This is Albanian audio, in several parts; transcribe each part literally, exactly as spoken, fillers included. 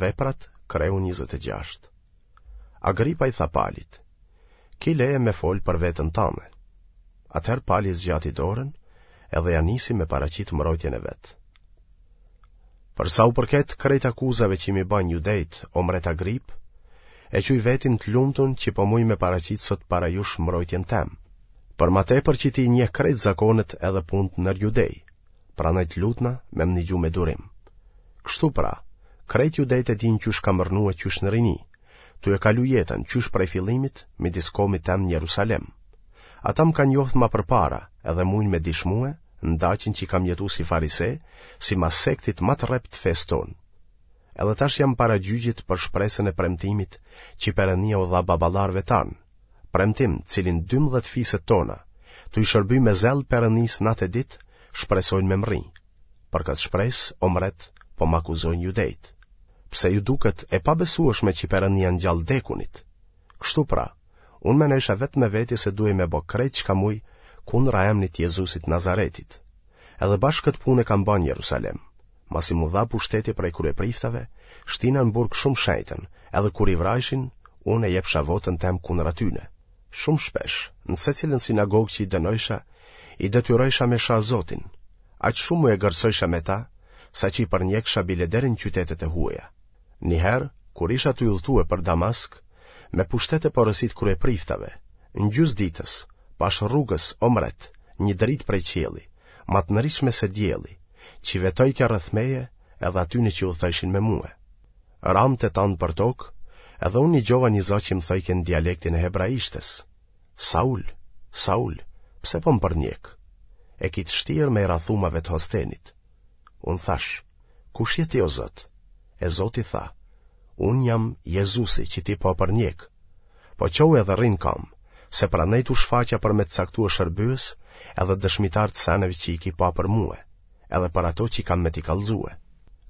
Veprat, kreu njëzet e gjashtë. Agripa i tha Palit, Ki leje me fol për veten tande. Atëherë Pali zgjati dorën edhe ja nisi me paraqit mbrojtjen e vet. Për sa u përket krejt akuzave që m'i bajnë judejt, o mbret Agrip, e quj vetin të lumtun që po muj me paraqit sot para jush mbrojtjen tem. Për ma tepër që ti i njeh krejt zakonet edhe punët nër judej, prandaj të lutna me më nigju me durim. Kështu pra, krejt judejt e dinë qysh kam rrnue qysh në rini, tu e kalu jetën qysh prej fillimit midis komit tem në Jerusalem. Ata më kanë njohtë ma përpara edhe mujnë me dishmue n'daçin që kam jetu si farise, simas sektit ma të rreptë të fesë tonë. Edhe tash jam para gjyqit për shpresën e premtimit që Perënia u dha baballarëve tanë, premtim cilin dymbëdhjetë fiset tona, tu i shërby me zell Perënisë natë e ditë, shpresojnë me mrri. Për këtë shpresë, o mbret, po më akuzojnë judejtë. Pse ju duket e pabesueshme që Perënia ngjall t'dekunit? Kështu pra, unë menojsha vetë me veti se duhej me bo krejt çka muj kundra emnit të Jezusit Nazaretit. Edhe bash këtë punë e kam ba në Jerusalem. Masi m'u dha pushteti prej kryepriftave, shtina në burg shumë shenjtën, edhe kur i vrajshin, unë e jepsha votën tem kundra tyne. Shumë shpesh, në secilën sinagogë që i dënojsha, i detyrojsha me sha Zotin. Aq shumë u egërsojsha me ta, saqë i përnjeksha bile deri në qytetet e huaja. Një herë, kur isha tu udhëtue për Damask, me pushtet e porosi të kryepriftave, në gjysë ditës, pashë rrugës, o mbret, një dritë prej qielli, ma të ndritshme se dielli, që vetojke rreth meje edhe atyne që udhëtojshin me mue. Ramë të tanë për tokë, edhe unë nigjova një za që më thojke në dialektin e hebraishtes, Saul, Saul, pse po më përnjek? E ki të shtirë me i ra thumave të hostenit. Unë thash, kush je ti o Zot? E Zoti tha, unë jam Jezusi që ti po përnjek. Po çohu edhe rri n'kamë, se prandaj t'u shfaqa për me të caktue shërbyes edhe dëshmitar të seneve që i ki pa për mue, edhe për ato që kam me t'i kallzue.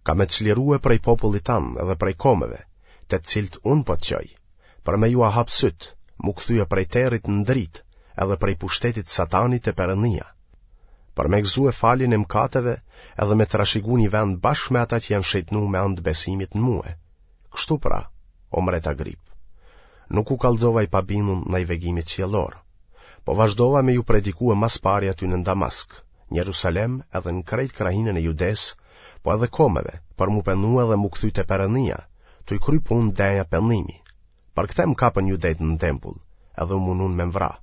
Kam me të çlirue prej popullit tand edhe prej komeve, te të cilët unë po të çoj, për me jua hap sytë, m'u kthye prej territ në dritë, edhe prej pushtetit satanit te Perënia, për me gëzue faljen e mëkateve edhe me trashigu një vend bashkë me ata që janë shejtnu me anë të besimit në mue. Kështu pra, o mbret Agrip, nuk u kallxova i pabindun ndaj vegimit qiellor, po vazhdova me ju predikue mas pari aty në Damask, në Jerusalem edhe në krejt krahinën e Judesë, po edhe komeve, për m'u pendue dhe m'u kthy te Perënia, tu i kry punë denja pendimi. Për këtë më kapën judejtë në tempull, edhe u munun me më vra.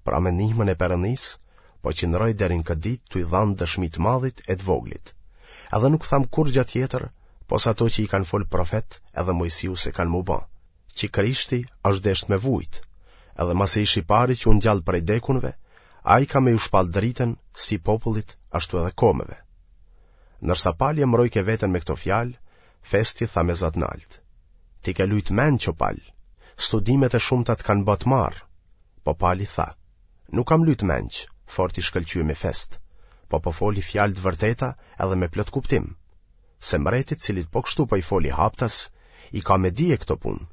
Pra me ndihmën e Perëndisë, po qëndroj deri në këtë ditë tu i dhanë dëshmi të madhit e të voglit. Edhe nuk tham kurrgjë tjetër, pos ato që i kanë folë profet edhe Moisiu se kanë m'u ba, që Krishti është deshtë me vujt, edhe masi ish i pari që u ngjall prej dekunve, ai ka me ju shpall dritën si popullit ashtu edhe komeve. Ndërsa Pali e mbrojke veten me këto fjalë, Festi tha me za të naltë. Ti ke lujt menç o Pal, studimet e shumta të kanë ba të marrë. Po Pali tha, nuk kam lujt menç, fort i shkëlqyemi Fest, po po foli fjalë të vërteta edhe me plot kuptim. Se mbretit cilit po kështu po i foli haptas, i ka me dije këto punë.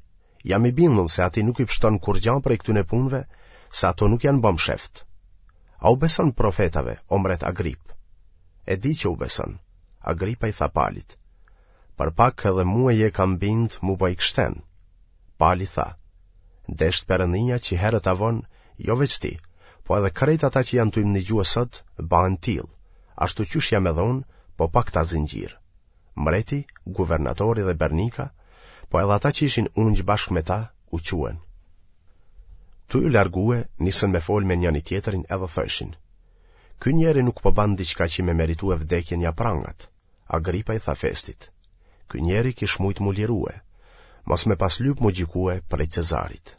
Jam i bindun se atij nuk i pshton kurrgja prej këtyne punëve, se ato nuk janë ba msheft. A u beson profetave, o mbret Agrip? E di që u beson. Agripa i tha Palit, për pak edhe mue je kam bind m'u ba i krishten. Pali tha, deshtë Perënia që herët a vonë, jo veç ti, po edhe krejt ata që janë tu më nigjue sot, bahen tillë, ashtu qysh jam edhe unë, po pa këta zinxhirë. Mbreti, guvernatori dhe Bernika, po edhe ata që ishin ungj bashkë me ta, u çuen. Tu ju largue, nisën me folë me njëni tjetrin edhe thojshin, Ky njeri nuk po ban diçka që me meritue vdekjen ja prangat. Agripa i tha Festit, Ky njeri kish mujt m'u lirue, mos me pas lyp m'u gjykue prej Cezarit.